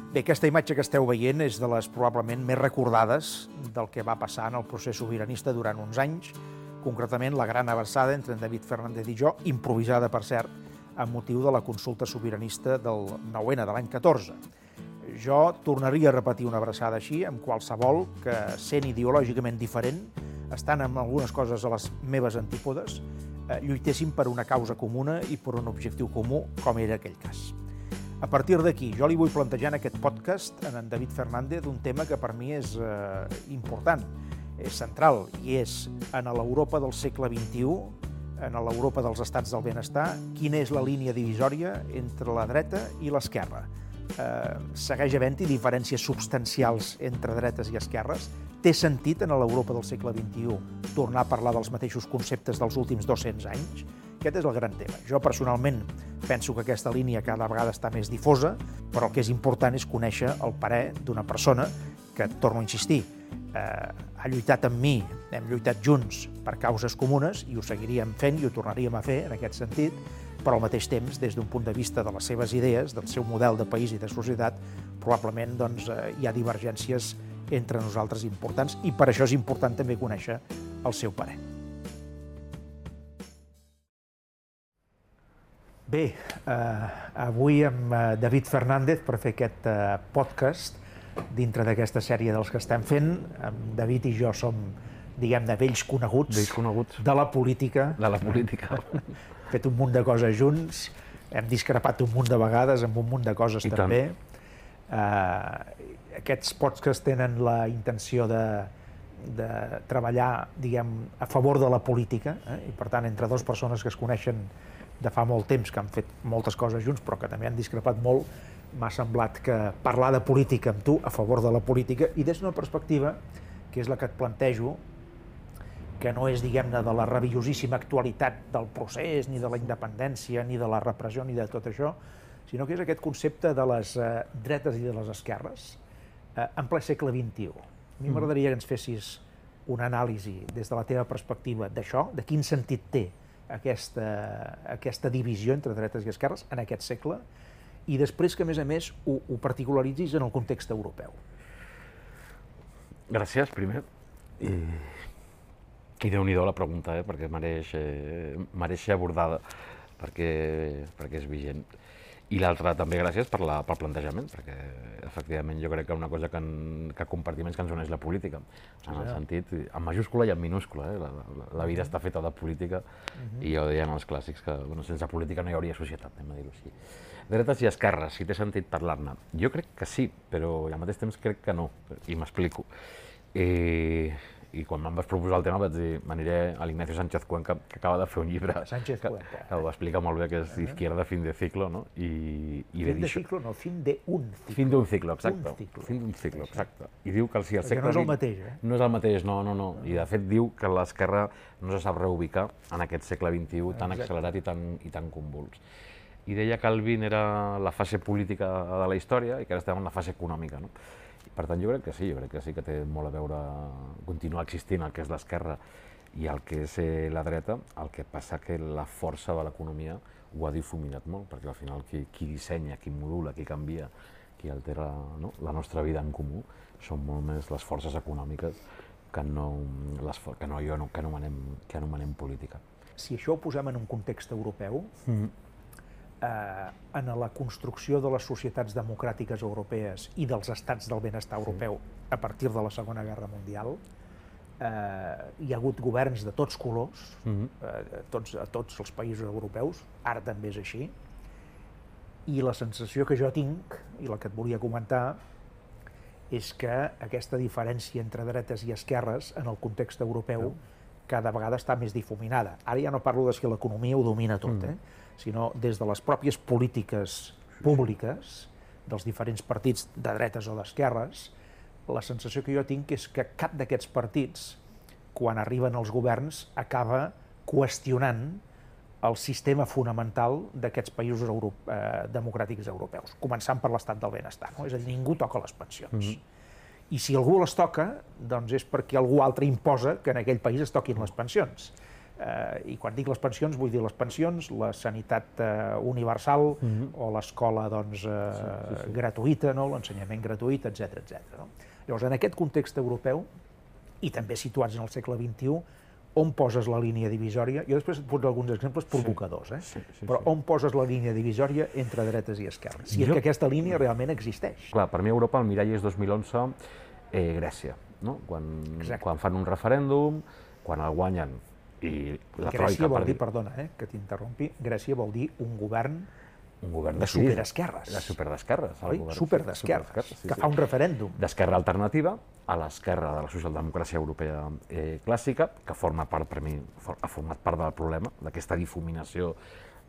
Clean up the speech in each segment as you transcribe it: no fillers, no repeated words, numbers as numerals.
Bé, aquesta imatge que esteu veient és de les probablement més recordades del que va passar en el procés sobiranista durant uns anys, concretament la gran abraçada entre en David Fernández i jo, improvisada, per cert, amb motiu de la consulta sobiranista del 9N de l'any 14. Jo tornaria a repetir una abraçada així amb qualsevol que, sent ideològicament diferent, estan en algunes coses a les meves antípodes, lluitessin per una causa comuna i per un objectiu comú, com era aquell cas. A partir d'aquí, jo li vull plantejar en aquest podcast a en David Fernández un tema que per mi és important, és central, i és en l'Europa del segle XXI, en l'Europa dels estats del benestar, quina és la línia divisòria entre la dreta i l'esquerra. Segueix havent-hi diferències substancials entre dretes i esquerres? Té sentit en l'Europa del segle XXI tornar a parlar dels mateixos conceptes dels últims 200 anys? Aquest és el gran tema. Jo personalment penso que aquesta línia cada vegada està més difosa, però el que és important és conèixer el parer d'una persona que, torno a insistir, ha lluitat amb mi, hem lluitat junts per causes comunes i ho seguiríem fent i ho tornaríem a fer en aquest sentit, però al mateix temps, des d'un punt de vista de les seves idees, del seu model de país i de societat, probablement hi ha divergències entre nosaltres importants i per això és important també conèixer el seu parer. Bé, avui amb David Fernández per fer aquest podcast dintre d'aquesta sèrie dels que estem fent. David i jo som, diguem-ne, vells coneguts de la política. De la política. Hem fet un munt de coses junts, hem discrepat un munt de vegades amb un munt de coses també. Aquests podcasts tenen la intenció de treballar, diguem, a favor de la política, i per tant, entre dues persones que es coneixen de fa molt temps, que han fet moltes coses junts, però que també han discrepat molt, m'ha semblat que parlar de política amb tu, a favor de la política, i des d'una perspectiva, que és la que et plantejo, que no és, diguem-ne, de la rabiosíssima actualitat del procés, ni de la independència, ni de la repressió, ni de tot això, sinó que és aquest concepte de les dretes i de les esquerres en ple segle XXI. A mi m'agradaria que ens fessis una anàlisi des de la teva perspectiva d'això, de quin sentit té aquesta divisió entre dretes i esquerres en aquest segle, i després que, a més, ho particularitzis en el context europeu. Gràcies, primer. I Déu-n'hi-do la pregunta, perquè mereix ser abordada, perquè és vigent. I l'altra també gràcies pel plantejament, perquè efectivament jo crec que una cosa que compartim és que ens uneix la política, en el sentit, en majúscula i en minúscula. La vida està feta de política i ja ho deien els clàssics que sense política no hi hauria societat, anem a dir-ho així. Dretes i esquerres, si té sentit parlar-ne. Jo crec que sí, però al mateix temps crec que no, i m'explico. I quan em vas proposar el tema vaig dir, m'aniré a l'Ignacio Sánchez Cuenca, que acaba de fer un llibre que ho explica molt bé, que és Izquierda fin de ciclo, no? Fin de ciclo, no, fin de un ciclo. Fin d'un ciclo, exacte. Fin d'un ciclo, exacte. I diu que si el segle... Perquè no és el mateix, No és el mateix, no. I de fet diu que l'esquerra no se sap reubicar en aquest segle XXI tan accelerat i tan convuls. I deia que el XX era la fase política de la història i que ara estem en la fase econòmica, no? Per tant, jo crec que sí que té molt a veure continuar existint el que és l'esquerra i el que és la dreta, el que passa que la força de l'economia ho ha difuminat molt, perquè al final qui dissenya, qui modula, qui canvia, qui altera la nostra vida en comú són molt més les forces econòmiques que anomenem política. Si això ho posem en un context europeu, en la construcció de les societats democràtiques europees i dels estats del benestar europeu a partir de la Segona Guerra Mundial, hi ha hagut governs de tots colors, a tots els països europeus, ara també és així, i la sensació que jo tinc, i la que et volia comentar, és que aquesta diferència entre dretes i esquerres en el context europeu cada vegada està més difuminada. Ara ja no parlo de que l'economia ho domina tot, sinó des de les pròpies polítiques públiques dels diferents partits de dretes o d'esquerres, la sensació que jo tinc és que cap d'aquests partits, quan arriben als governs, acaba qüestionant el sistema fonamental d'aquests països democràtics europeus, començant per l'estat del benestar. És a dir, ningú toca les pensions. I si algú les toca, doncs és perquè algú altre imposa que en aquell país es toquin les pensions. I quan dic les pensions, vull dir les pensions, la sanitat universal o l'escola gratuïta, l'ensenyament gratuït, etc. Llavors, en aquest context europeu, i també situats en el segle XXI, on poses la línia divisòria? Jo després et poso alguns exemples provocadors, però on poses la línia divisòria entre dretes i esquerres? Si és que aquesta línia realment existeix. Clar, per mi a Europa el mirall és 2011, Grècia, quan fan un referèndum, quan el guanyen i la troika... Grècia vol dir, perdona, que t'interrompi, Grècia vol dir un govern de superesquerres. De superdesquerres. Oi? Superdesquerres, que fa un referèndum. D'esquerra alternativa a l'esquerra de la socialdemocràcia europea clàssica, que forma part, per mi, ha format part del problema, d'aquesta difuminació.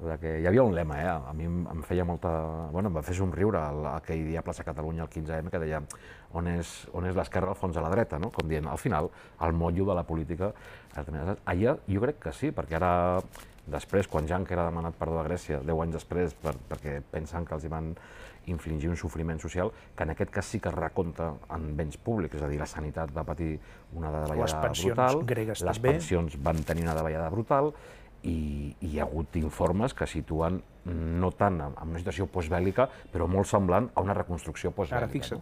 Hi havia un lema, a mi em feia molta... Bueno, em va fer somriure aquell dia a Plaça Catalunya, el 15M, que deia on és l'esquerra al fons de la dreta, com dient, al final, el motllo de la política... Allà jo crec que sí, perquè ara... Després, quan Juncker ha demanat perdó a Grècia, 10 anys després, perquè pensen que els van infligir un sofriment social, que en aquest cas sí que es recompta en béns públics, és a dir, la sanitat va patir una davallada brutal, les pensions van tenir una davallada brutal, i hi ha hagut informes que situen no tant en una situació postbèl·lica, però molt semblant a una reconstrucció postbèl·lica. Ara fixa't,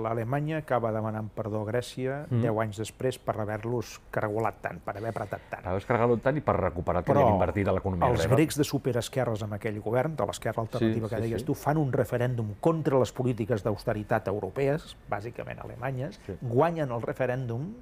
l'Alemanya acaba demanant perdó a Grècia 10 anys després per haver-los cargolat tant, per haver apretat tant. Per haver-los cargolat tant i per recuperar el que havien invertit a l'economia grega. Però els grecs de superesquerres amb aquell govern, de l'esquerra alternativa que deies tu, fan un referèndum contra les polítiques d'austeritat europees, bàsicament alemanyes, guanyen el referèndum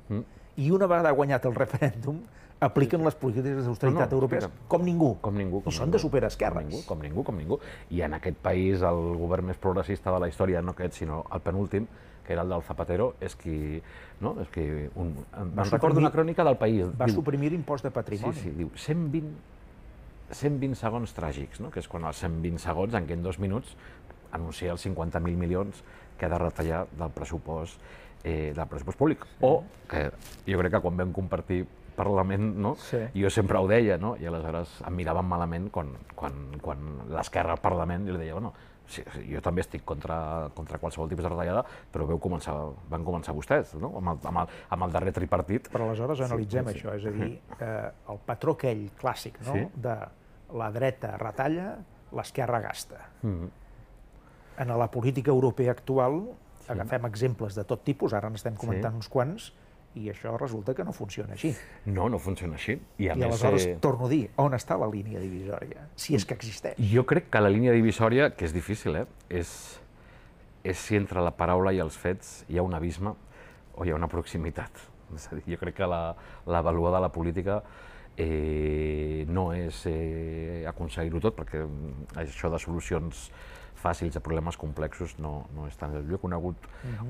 i una vegada guanyat el referèndum apliquen les polítiques d'austeritat europees com ningú. I són de superesquerres. Com ningú. I en aquest país el govern més progressista de la història, no aquest, sinó el penúltim, que era el del Zapatero, és qui... Me'n recordo una crònica del País. Va suprimir l'impost de patrimoni. Sí, diu 120 segons tràgics, que és quan els 120 segons, en què en 2 minuts anuncia els 50.000 milions que ha de retallar del pressupost públic. O que jo crec que quan vam compartir Parlament, jo sempre ho deia, i aleshores em miraven malament quan l'esquerra al Parlament, i li deia, jo també estic contra qualsevol tipus de retallada, però van començar vostès, amb el darrer tripartit. Però aleshores analitzem això, és a dir, el patró aquell clàssic de la dreta retalla, l'esquerra gasta. En la política europea actual agafem exemples de tot tipus, ara n'estem comentant uns quants, i això resulta que no funciona així. No funciona així. I aleshores, torno a dir, on està la línia divisòria? Si és que existeix. Jo crec que la línia divisòria, que és difícil, és si entre la paraula i els fets hi ha un abisme o hi ha una proximitat. És a dir, jo crec que la valoada de la política no és aconseguir-ho tot, perquè això de solucions fàcils a problemes complexos no és tant. Jo he conegut,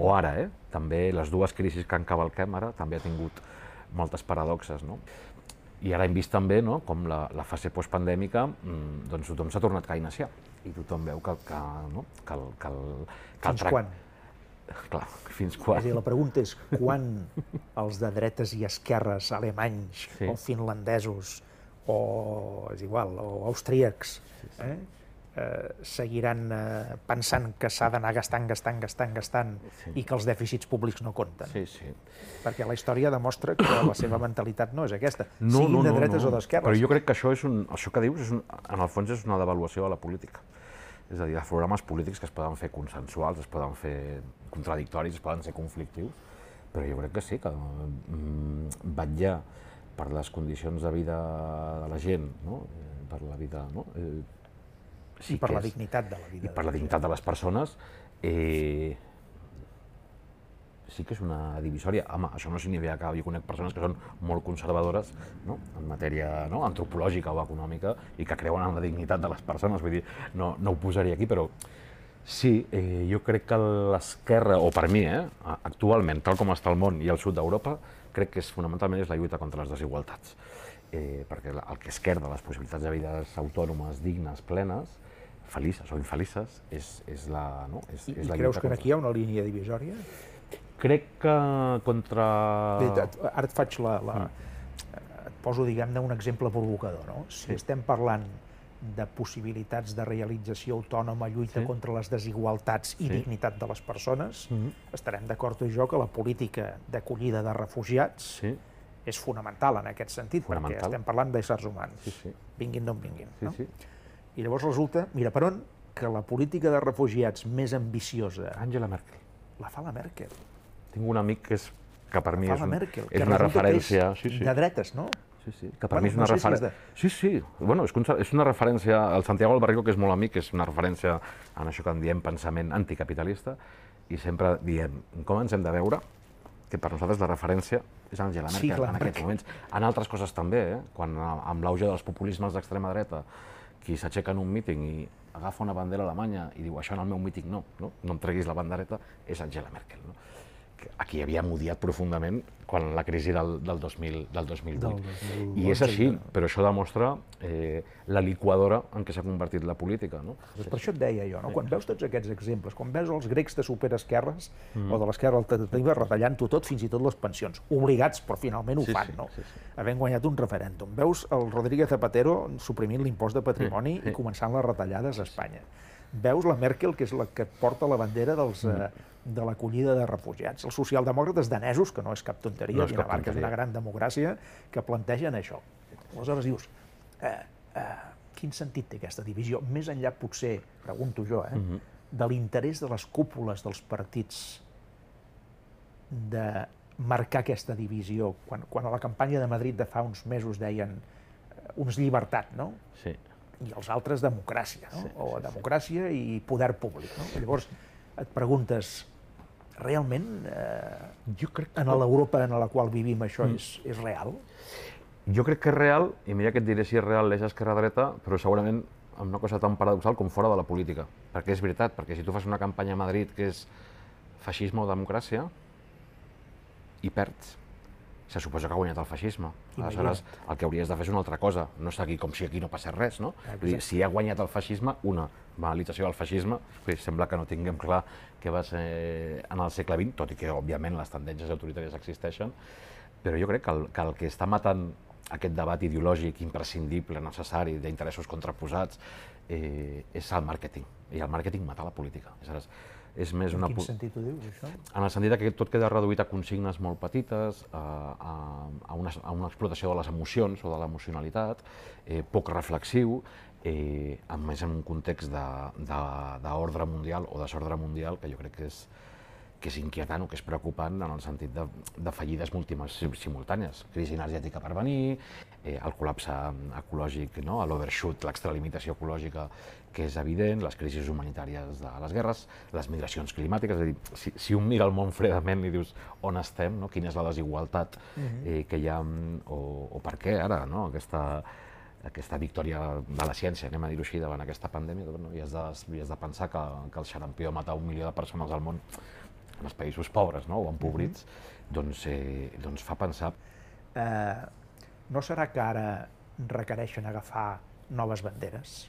o ara, també les dues crisis que encavalquem ara també ha tingut moltes paradoxes. I ara hem vist també com la fase postpandèmica, doncs tothom s'ha tornat keynesià i tothom veu que Fins quan? Clar, fins quan? És a dir, la pregunta és quan els de dretes i esquerres alemanys o finlandesos o, és igual, o austríacs seguiran pensant que s'ha d'anar gastant i que els dèficits públics no compten. Perquè la història demostra que la seva mentalitat no és aquesta, siguin de dretes o d'esquerres. Però jo crec que això que dius, en el fons, és una devaluació de la política. És a dir, els programes polítics que es poden fer consensuals, es poden fer contradictoris, es poden ser conflictius, però jo crec que sí, que vetllar per les condicions de vida de la gent, per la vida... I per la dignitat de la vida. I per la dignitat de les persones, sí que és una divisòria. Home, això no significa que jo conec persones que són molt conservadores en matèria antropològica o econòmica i que creuen en la dignitat de les persones, vull dir, no ho posaria aquí, però sí, jo crec que l'esquerra, o per mi, actualment, tal com està el món i el sud d'Europa, crec que fonamentalment és la lluita contra les desigualtats. Perquè el que esquerda les possibilitats de vides autònomes, dignes, plenes, felices o infelices, és la lluita. I creus que aquí hi ha una línia divisòria? Crec que contra... Ara et faig et poso, diguem-ne, un exemple provocador, no? Si estem parlant de possibilitats de realització autònoma, lluita contra les desigualtats i dignitat de les persones, estarem d'acord tu i jo que la política d'acollida de refugiats és fonamental en aquest sentit, perquè estem parlant d'éssers humans, vinguin d'on vinguin. I llavors resulta, mira per on, que la política de refugiats més ambiciosa... Angela Merkel. La fa la Merkel. Tinc un amic que per mi és una referència... De dretes, no? Sí, que per mi és una referència... Sí, bueno, és una referència... El Santiago Albarrico, que és molt amic, és una referència en això que en diem pensament anticapitalista, i sempre diem com ens hem de veure, que per nosaltres la referència és Angela Merkel en aquests moments. En altres coses també, quan amb l'auge dels populismes d'extrema dreta, qui s'aixeca en un míting i agafa una bandera alemanya i diu això en el meu míting no em treguis la bandereta, és Angela Merkel. A qui havia odiat profundament quan la crisi del 2008. I és així, però això demostra la liquadora en què s'ha convertit la política. Per això et deia jo, quan veus tots aquests exemples, quan veus els grecs de superesquerres o de l'esquerra alternativa retallant-ho tot, fins i tot les pensions, obligats, però finalment ho fan, havent guanyat un referèndum. Veus el Rodríguez Zapatero suprimint l'impost de patrimoni i començant les retallades a Espanya. Veus la Merkel, que és la que porta la bandera de l'acollida de refugiats. Els socialdemòcrates danesos, que no és cap tonteria, Dinamarca és una gran democràcia, que plantegen això. Aleshores dius, quin sentit té aquesta divisió? Més enllà, potser, pregunto jo, de l'interès de les cúpules dels partits de marcar aquesta divisió, quan a la campanya de Madrid de fa uns mesos deien uns llibertat, no? Sí. I els altres democràcia, o democràcia i poder públic. Llavors et preguntes, realment en l'Europa en la qual vivim això és real? Jo crec que és real, i mira que et diré si és real l'eix esquerra-dreta, però segurament amb una cosa tan paradoxal com fora de la política. Perquè és veritat, perquè si tu fas una campanya a Madrid que és feixisme o democràcia, i perds, se suposa que ha guanyat el feixisme. Aleshores, el que hauries de fer és una altra cosa, no seguir com si aquí no passés res, no? Vull dir, si ha guanyat el feixisme, una banalització del feixisme, sembla que no tinguem clar què va ser en el segle XX, tot i que, òbviament, les tendències autoritàries existeixen, però jo crec que el que està matant aquest debat ideològic imprescindible, necessari, d'interessos contraposats, és el màrqueting, i el màrqueting mata la política. En quin sentit ho dius, això? En el sentit que tot queda reduït a consignes molt petites, a una explotació de les emocions o de l'emocionalitat, poc reflexiu, a més en un context d'ordre mundial o desordre mundial que jo crec que és inquietant o que és preocupant en el sentit de fallides múltiples simultànies. Crisi energètica per venir, el col·lapse ecològic, l'overshoot, l'extralimitació ecològica, que és evident, les crisis humanitàries de les guerres, les migracions climàtiques, és a dir, si un mira el món fredament i dius on estem, quina és la desigualtat que hi ha, o per què ara, aquesta victòria de la ciència, anem a dir-ho així, davant aquesta pandèmia, i has de pensar que el xarampió mata 1 milió de persones al món, en els països pobres o empobrits, doncs fa pensar. No serà que ara requereixen agafar noves banderes?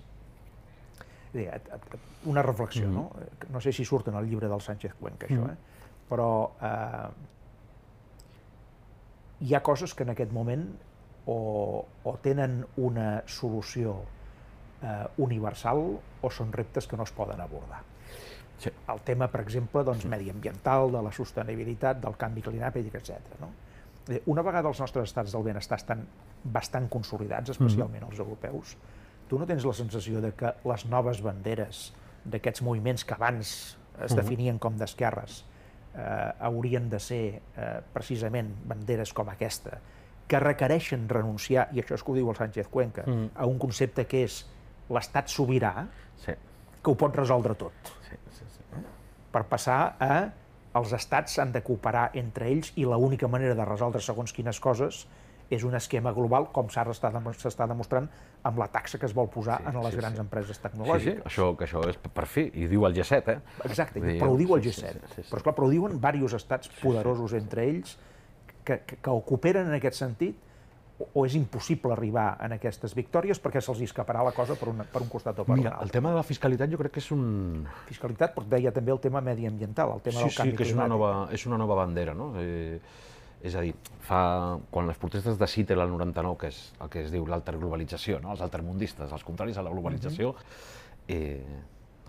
Una reflexió, no sé si surt en el llibre del Sánchez Cuenca, això, però hi ha coses que en aquest moment o tenen una solució universal o són reptes que no es poden abordar. El tema, per exemple, mediambiental, de la sostenibilitat, del canvi climàtic, etc. Una vegada els nostres estats del benestar estan bastant consolidats, especialment els europeus, tu no tens la sensació de que les noves banderes d'aquests moviments que abans es definien com d'esquerres haurien de ser precisament banderes com aquesta, que requereixen renunciar, i això és que ho diu el Sánchez Cuenca, a un concepte que és l'estat sobirà, que ho pot resoldre tot. Per passar a els estats han de cooperar entre ells i l'única manera de resoldre segons quines coses és un esquema global, com s'està demostrant amb la taxa que es vol posar en les grans empreses tecnològiques. Sí, això és per fi, i diu el G7, Exacte, però ho diu el G7. Però esclar, però ho diuen diversos estats poderosos entre ells que o cooperen en aquest sentit o és impossible arribar a aquestes victòries perquè se'ls escaparà la cosa per un costat o per un altre. El tema de la fiscalitat jo crec que és un... Fiscalitat, però deia també el tema mediambiental, el tema del canvi climàtic. És una nova bandera, no? És a dir, quan les protestes de Seattle al 99, que és el que es diu l'alterglobalització, els altermundistes, els contraris a la globalització,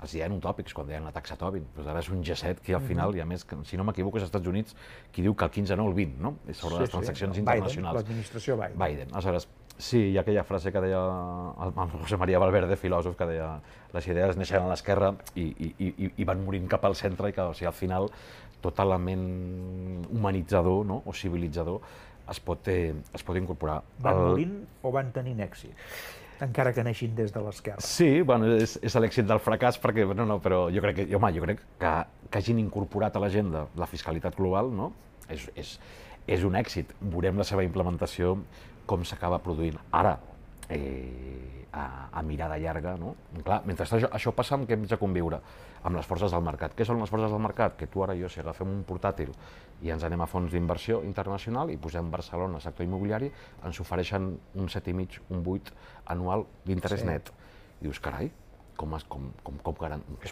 es deien utòpics quan deien la taxa Tobin, però ara és un G7 que al final, i a més, si no m'equivoco, és als Estats Units qui diu que el 15 no el 20, no? És sobre les transaccions internacionals. L'administració Biden. Biden. Aleshores, sí, hi ha aquella frase que deia el José María Valverde, filòsof, que deia les idees neixen a l'esquerra i van morint cap al centre i que al final tot element humanitzador, no? O civilitzador es pot incorporar. Van morint o van tenint èxit? Encara que neixin des de l'esquerra. Sí, bueno, és l'èxit del fracàs, perquè, però jo crec que hagin incorporat a l'agenda la fiscalitat global, no? És un èxit. Veurem la seva implementació, com s'acaba produint. Ara, a mirada llarga, no? Clar, mentre això passa, amb què hem de conviure? Amb les forces del mercat. Què són les forces del mercat? Que tu, ara i jo, si agafem un portàtil i ens anem a fons d'inversió internacional i posem Barcelona, sector immobiliari, ens ofereixen un 7,5, un 8 anual d'interès net. I dius, carai, com és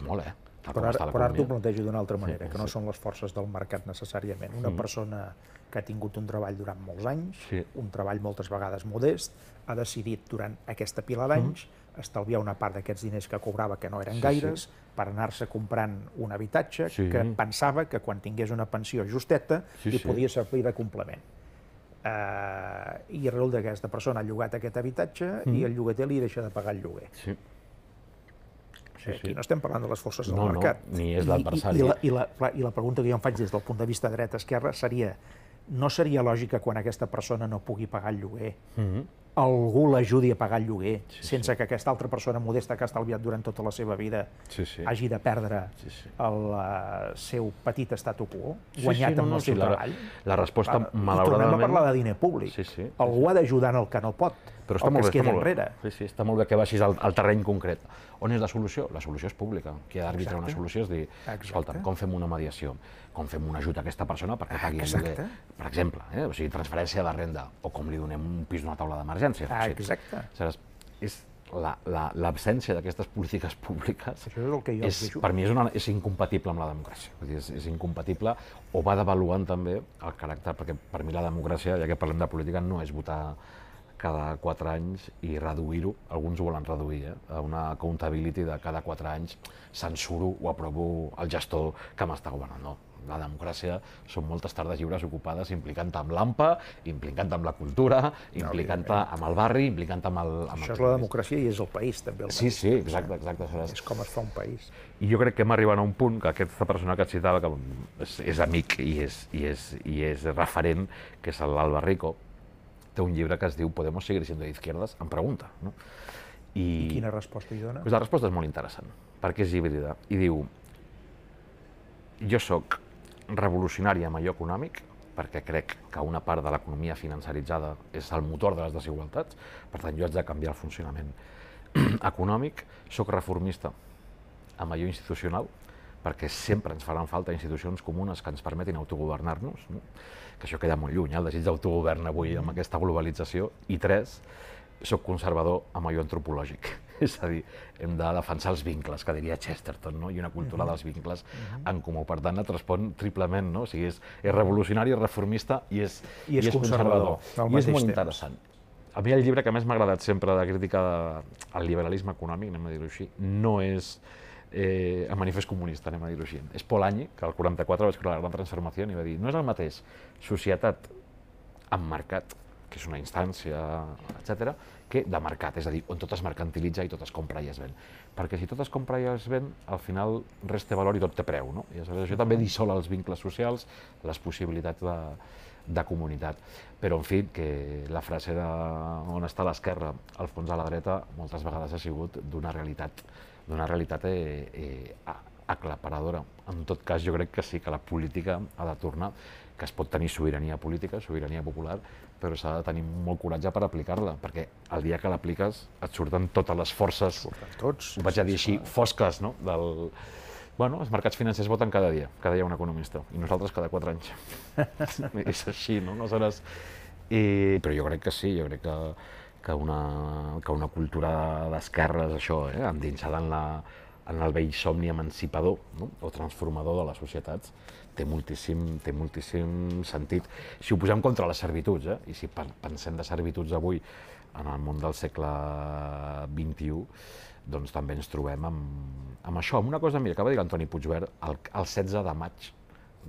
molt, eh? Però ara t'ho plantejo d'una altra manera, que no són les forces del mercat necessàriament. Una persona que ha tingut un treball durant molts anys, un treball moltes vegades modest, ha decidit durant aquesta pila d'anys estalviar una part d'aquests diners que cobrava, que no eren gaires, per anar-se comprant un habitatge que pensava que quan tingués una pensió justeta li podia servir de complement. I resulta que aquesta persona ha llogat aquest habitatge i el llogater li deixa de pagar el lloguer. Aquí no estem parlant de les forces del mercat. No, ni és l'adversari. I la pregunta que jo em faig des del punt de vista dreta-esquerra seria: no seria lògic que quan aquesta persona no pugui pagar el lloguer, algú l'ajudi a pagar el lloguer sense que aquesta altra persona modesta que ha estalviat durant tota la seva vida hagi de perdre el seu petit statu quo, guanyat amb el seu treball? La resposta, malauradament... I tornem a parlar de diner públic. Algú ha d'ajudar en el que no pot, el que es queda enrere. Sí, està molt bé que baixis al terreny concret. On és la solució? La solució és pública. Qui ha d'arbitrar una solució és dir, escolta, com fem una mediació? Com fem un ajut a aquesta persona perquè pagui el lloguer? Per exemple, o sigui, transferència de renda, o com li donem un pis d'una taula d'emergència. Exacte. És l'absència d'aquestes polítiques públiques, per mi és incompatible amb la democràcia. És incompatible, o va devaluant també el caràcter, perquè per mi la democràcia, ja que parlem de política, no és votar cada 4 anys i reduir-ho, alguns ho volen reduir, a una accountability de cada 4 anys censuro o aprovo el gestor que m'està governant. No, la democràcia són moltes tardes lliures ocupades implicant-te amb l'AMPA, implicant-te amb la cultura, implicant-te amb el barri, implicant-te amb el... Això és la democràcia i és el país, també. Sí, exacte. És com es fa un país. I jo crec que hem arribat a un punt que aquesta persona que et citava, que és amic i és referent, que és l'Alba Rico, té un llibre que es diu Podemos seguir siendo de izquierdas? Em pregunta. I quina resposta hi dona? La resposta és molt interessant, perquè és híbrida. I diu, jo soc revolucionari en allò econòmic, perquè crec que una part de l'economia financeritzada és el motor de les desigualtats, per tant jo haig de canviar el funcionament econòmic. Soc reformista en allò institucional, perquè sempre ens faran falta institucions comunes que ens permetin autogovernar-nos, que això queda molt lluny, el desig d'autogovern avui amb aquesta globalització. I 3, soc conservador amb allò antropològic, és a dir, hem de defensar els vincles, que diria Chesterton, i una cultura dels vincles en comú. Per tant, et respon triplement, o sigui, és revolucionari, és reformista i és conservador. I és molt interessant. A mi el llibre que més m'ha agradat sempre de crítica al liberalisme econòmic, anem a dir-ho així, no és el manifest comunista, anem a dir-ho així. És Paul Anyi, que al 44 va escriure La gran transformació i va dir, no és el mateix societat amb mercat, que és una instància, etc., que de mercat, és a dir, on tot es mercantilitza i tot es compra i es ven. Perquè si tot es compra i es ven, al final res té valor i tot té preu, no? I això també dissol els vincles socials, les possibilitats de comunitat. Però, en fi, que la frase de on està l'esquerra, al fons de la dreta, moltes vegades ha sigut d'una realitat aclaparadora. En tot cas, jo crec que sí, que la política ha de tornar, que es pot tenir sobirania política, sobirania popular, però s'ha de tenir molt coratge per aplicar-la, perquè el dia que l'apliques et surten totes les forces, ho vaig a dir així, fosques, no? Bueno, els mercats financers voten cada dia un economista, i nosaltres cada 4 anys. És així, no? Aleshores, però jo crec que sí, jo crec que una cultura d'esquerres, això, endinsada en el vell somni emancipador o transformador de les societats, té moltíssim sentit. Si ho posem contra les servituds, i si pensem de servituds avui en el món del segle XXI, doncs també ens trobem amb això, amb una cosa, mira, que va dir l'Antoni Puigverd el 16 de maig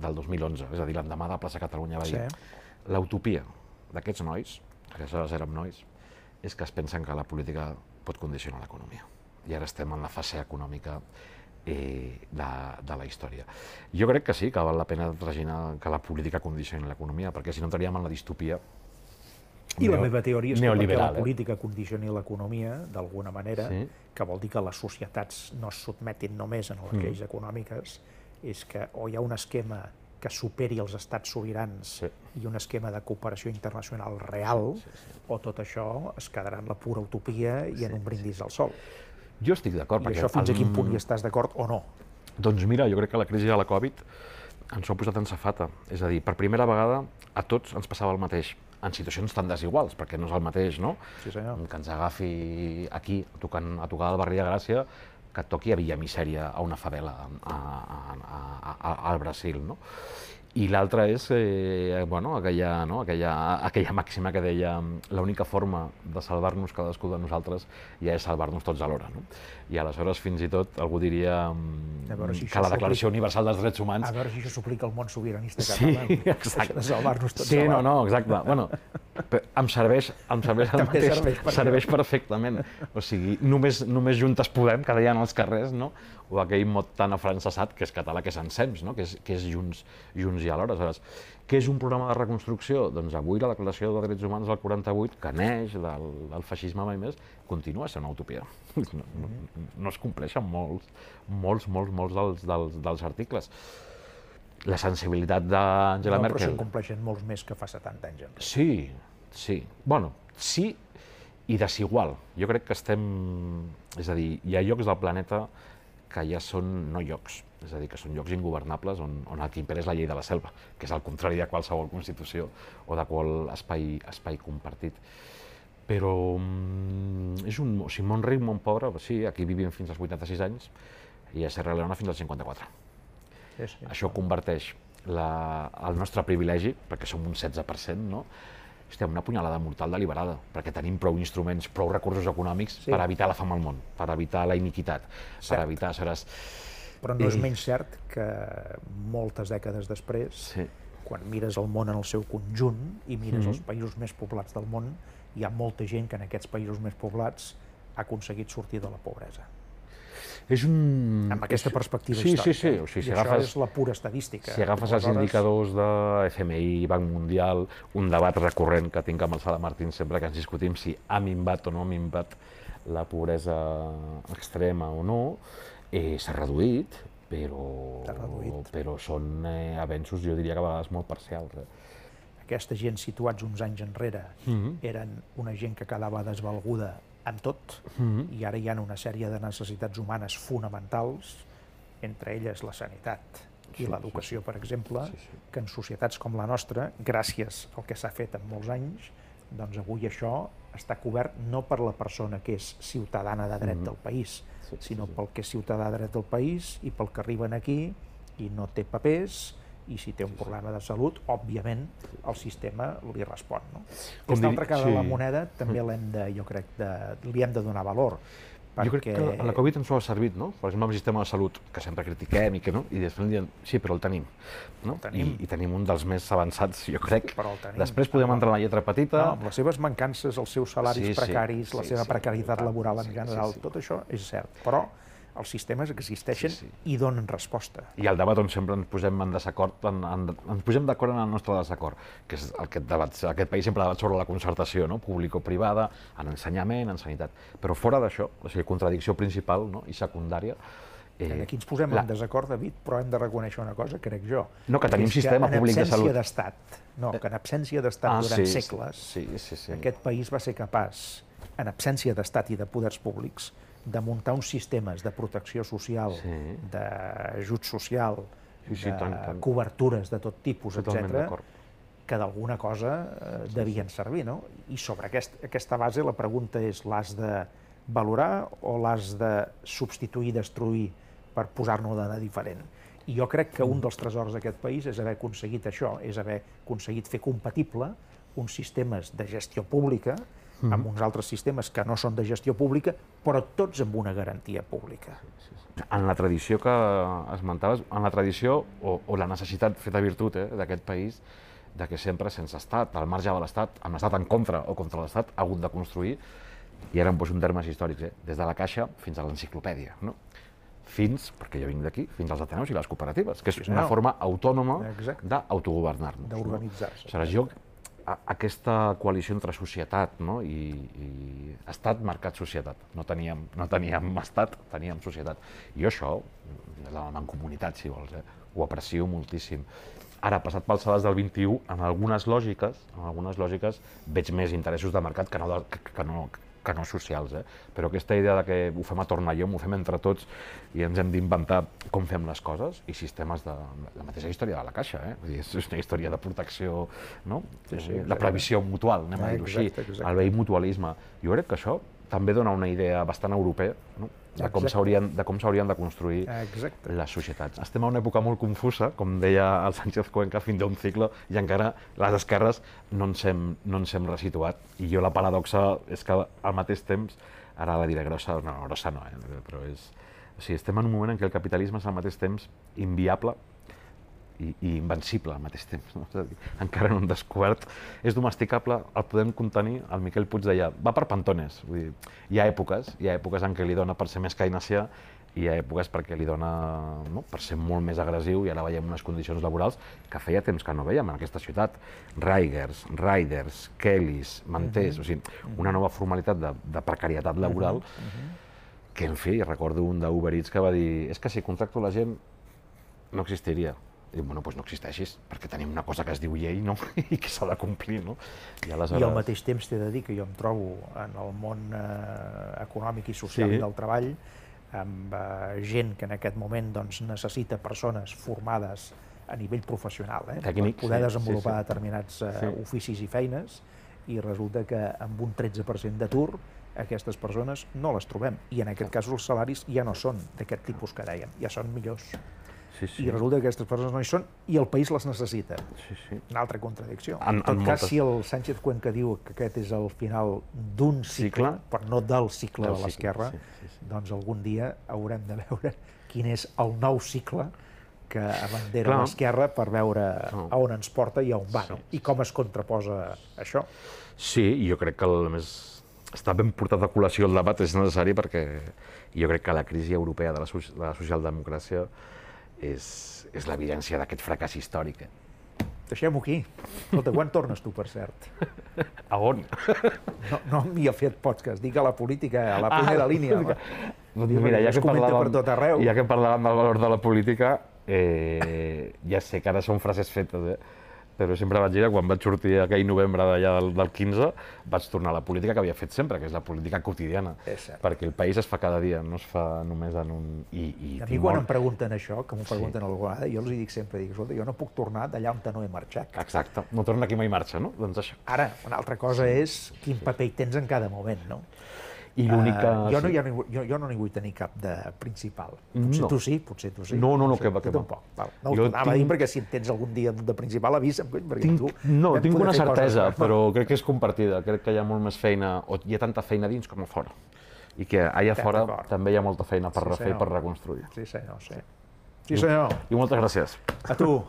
del 2011, és a dir, l'endemà de la plaça Catalunya, va dir l'utopia d'aquests nois, que aleshores érem nois, és que es pensen que la política pot condicionar l'economia. I ara estem en la fase econòmica de la història. Jo crec que sí, que val la pena traginar que la política condicioni l'economia, perquè si no entraríem en la distopia I la meva teoria és que perquè la neoliberal, política condicioni l'economia, d'alguna manera, Sí. que vol dir que les societats no es sotmetin només a les lleis econòmiques, és que o hi ha un esquema que superi els estats sobirans Sí. i un esquema de cooperació internacional real, o tot això es quedarà en la pura utopia i en un brindis al sol. Jo estic d'acord. I això fins a quin punt hi estàs d'acord o no? Doncs mira, jo crec que la crisi de la Covid ens ho ha posat en safata. És a dir, per primera vegada a tots ens passava el mateix, en situacions tan desiguals, perquè no és el mateix, no? Sí, senyor. Que ens agafi aquí, a tocar el barri de Gràcia, que et toqui a Villa Misèria, a una favela al Brasil, no? I l'altra és aquella màxima que deia l'única forma de salvar-nos cadascú de nosaltres ja és salvar-nos tots alhora. No? I aleshores fins i tot algú diria que la Declaració Universal dels Drets Humans... A veure si això s'aplica al món sobiranista Sí, català. exacte. De salvar-nos tots Sí, alhora. no, exacte. Bueno, em serveix el mateix, serveix perfectament. O sigui, només Juntes Podem, que deien als carrers, no? O aquell mot tan afrancesat, que és català, que és ensems, no? que és Junts i alhora. Aleshores, què és un programa de reconstrucció? Doncs avui la Declaració de Drets Humans del 48, que neix del feixisme mai més, continua sent una utopia. No es compleixen molts dels articles. La sensibilitat d'Angela Merkel... No, però se'n compleixen molts més que fa 70 anys. Sí. Bueno, sí i desigual. Jo crec que estem... És a dir, hi ha llocs del planeta que ja són no llocs, és a dir, que són llocs ingovernables on el que impera és la llei de la selva, que és el contrari de qualsevol constitució o de qual espai compartit. Però és un món ric, món pobre, sí, aquí vivim fins als 86 anys i a Serra Leona fins als 54. Sí. Això converteix el nostre privilegi, perquè som un 16%, no? Hòstia, una punyalada mortal deliberada, perquè tenim prou instruments, prou recursos econòmics per evitar la fam al món, per evitar la iniquitat, per evitar... Però no és menys cert que moltes dècades després, quan mires el món en el seu conjunt i mires els països més poblats del món, hi ha molta gent que en aquests països més poblats ha aconseguit sortir de la pobresa. Amb aquesta perspectiva històrica. Sí. O sigui, I això és la pura estadística. Si agafes els indicadors de FMI, Banc Mundial, un debat recurrent que tinc amb el Sala Martín sempre que ens discutim si ha minvat o no ha minvat la pobresa extrema o no, s'ha reduït, però són avenços, jo diria que a vegades molt parcials. Aquesta gent situats uns anys enrere eren una gent que quedava desvalguda en tot, i ara hi ha una sèrie de necessitats humanes fonamentals, entre elles la sanitat i l'educació, per exemple, que en societats com la nostra, gràcies al que s'ha fet en molts anys, doncs avui això està cobert no per la persona que és ciutadana de dret del país, sinó pel que és ciutadà de dret del país i pel que arriben aquí i no té papers, i si té un problema de salut, òbviament, el sistema li respon. Aquesta altra cara de la moneda també li hem de donar valor. Jo crec que a la Covid ens ho ha servit, no? Per exemple, el sistema de salut, que sempre critiquem i després diem, sí, però el tenim. I tenim un dels més avançats, jo crec. Després podem entrar en la lletra petita. Amb les seves mancances, els seus salaris precaris, la seva precarietat laboral en general, tot això és cert. Però els sistemes existeixen i donen resposta. I el debat on sempre ens posem en desacord, ens posem d'acord en el nostre desacord, que és aquest país sempre debat sobre la concertació, público-privada, en ensenyament, en sanitat. Però fora d'això, o sigui, contradicció principal i secundària... Aquí ens posem en desacord, David, però hem de reconèixer una cosa, crec jo. No, que tenim sistema públic de salut. Que en absència d'estat durant segles, aquest país va ser capaç, en absència d'estat i de poders públics, de muntar uns sistemes de protecció social, d'ajut social, de cobertures de tot tipus, etc., que d'alguna cosa devien servir. I sobre aquesta base la pregunta és: l'has de valorar o l'has de substituir, destruir, per posar-ne de diferent? I jo crec que un dels tresors d'aquest país és haver aconseguit això, és haver aconseguit fer compatible uns sistemes de gestió pública amb uns altres sistemes que no són de gestió pública, però tots amb una garantia pública. En la tradició que esmentaves, en la tradició o la necessitat feta virtut d'aquest país, de que sempre sense estat, al marge de l'estat, amb l'estat en contra o contra l'estat, ha hagut de construir, i ara em poso en termes històrics, des de la Caixa fins a l'enciclopèdia, no? Fins, perquè jo vinc d'aquí, fins als Ateneus i les cooperatives, que és una forma autònoma d'autogovernar-nos. D'organitzar-se. Aleshores, aquesta coalició entre societat i estat marcat societat. No teníem estat, teníem societat. I això, la mancomunitat, si vols, ho aprecio moltíssim. Ara, passat pels salats del 21, en algunes lògiques veig més interessos de mercat que no socials, però aquesta idea de que ho fem a tornallom, ho fem entre tots i ens hem d'inventar com fem les coses i sistemes de la mateixa història de la Caixa, Vull dir, és una història de protecció, no? De previsió mutual, anem a dir-ho així, el vell mutualisme. Jo crec que això també dona una idea bastant europea, no? de com s'haurien de construir les societats. Estem a una època molt confusa, com deia el Sánchez Cuenca, fin d'un cicle, i encara les esquerres no ens hem resituat. I jo la paradoxa és que al mateix temps, ara la diré grossa no, però és... O sigui, estem en un moment en què el capitalisme és al mateix temps inviable i invencible al mateix temps. No? És a dir, encara no hem descobert. És domesticable, el podem contenir. El Miquel Puig deia, va per pantones. Vull dir, hi ha èpoques en què li dona per ser més keynesià i hi ha èpoques perquè li dona per ser molt més agressiu, i ara veiem unes condicions laborals que feia temps que no veiem en aquesta ciutat. Riders, Kellys, manters, o sigui, una nova formalitat de precarietat laboral que, en fi, recordo un d'Uber Eats que va dir és que si contracto la gent no existiria. I diu, bueno, doncs no existeixis, perquè tenim una cosa que es diu llei, no? I que s'ha de complir, no? I al mateix temps t'he de dir que jo em trobo en el món econòmic i social del treball amb gent que en aquest moment necessita persones formades a nivell professional per poder desenvolupar determinats oficis i feines, i resulta que amb un 13% d'atur aquestes persones no les trobem, i en aquest cas els salaris ja no són d'aquest tipus que dèiem, ja són millors. I resulta que aquestes persones no hi són i el país les necessita. Una altra contradicció. En tot cas, si el Sánchez Cuenca diu que aquest és el final d'un cicle, però no del cicle de l'esquerra, doncs algun dia haurem de veure quin és el nou cicle que abandera l'esquerra per veure a on ens porta i a on va, i com es contraposa això. Sí, i jo crec que a més està ben portat a col·lació el debat, és necessari, perquè jo crec que la crisi europea de la socialdemocràcia és l'evidència d'aquest fracàs històric. Deixem-ho aquí. Escolta, quan tornes tu, per cert? A on? No m'hi ha fet podcast, dic a la política, a la primera línia. Mira, ja que parlàvem del valor de la política, ja sé que ara són frases fetes, però sempre vaig dir que quan vaig sortir aquell novembre d'allà del 15 vaig tornar a la política que havia fet sempre, que és la política quotidiana, perquè el país es fa cada dia, no es fa només en un... A mi quan em pregunten això, que m'ho pregunten alguna vegada, jo els dic sempre, escolta, jo no puc tornar d'allà on no he marxat. Exacte, no torna aquí mai marxa, no? Doncs això. Ara, una altra cosa és quin paper hi tens en cada moment, no? I l'única... Jo no n'hi vull tenir cap de principal. Potser tu sí. No, que va. Tu tampoc. No ho anava a dir perquè si en tens algun dia de principal avisa'm. No, tinc una certesa, però crec que és compartida. Crec que hi ha molt més feina, o hi ha tanta feina dins com a fora. I que allà fora també hi ha molta feina per refer i per reconstruir. Sí, senyor. Sí, senyor. I moltes gràcies. A tu.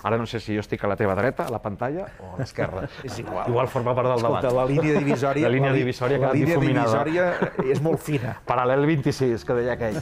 Ara no sé si jo estic a la teva dreta, a la pantalla, o a l'esquerra. És igual. Igual forma part del debat. Escolta, la línia divisòria... La línia divisòria que ha difuminada. La línia divisòria és molt fina. Paral·lel 26, que deia aquell.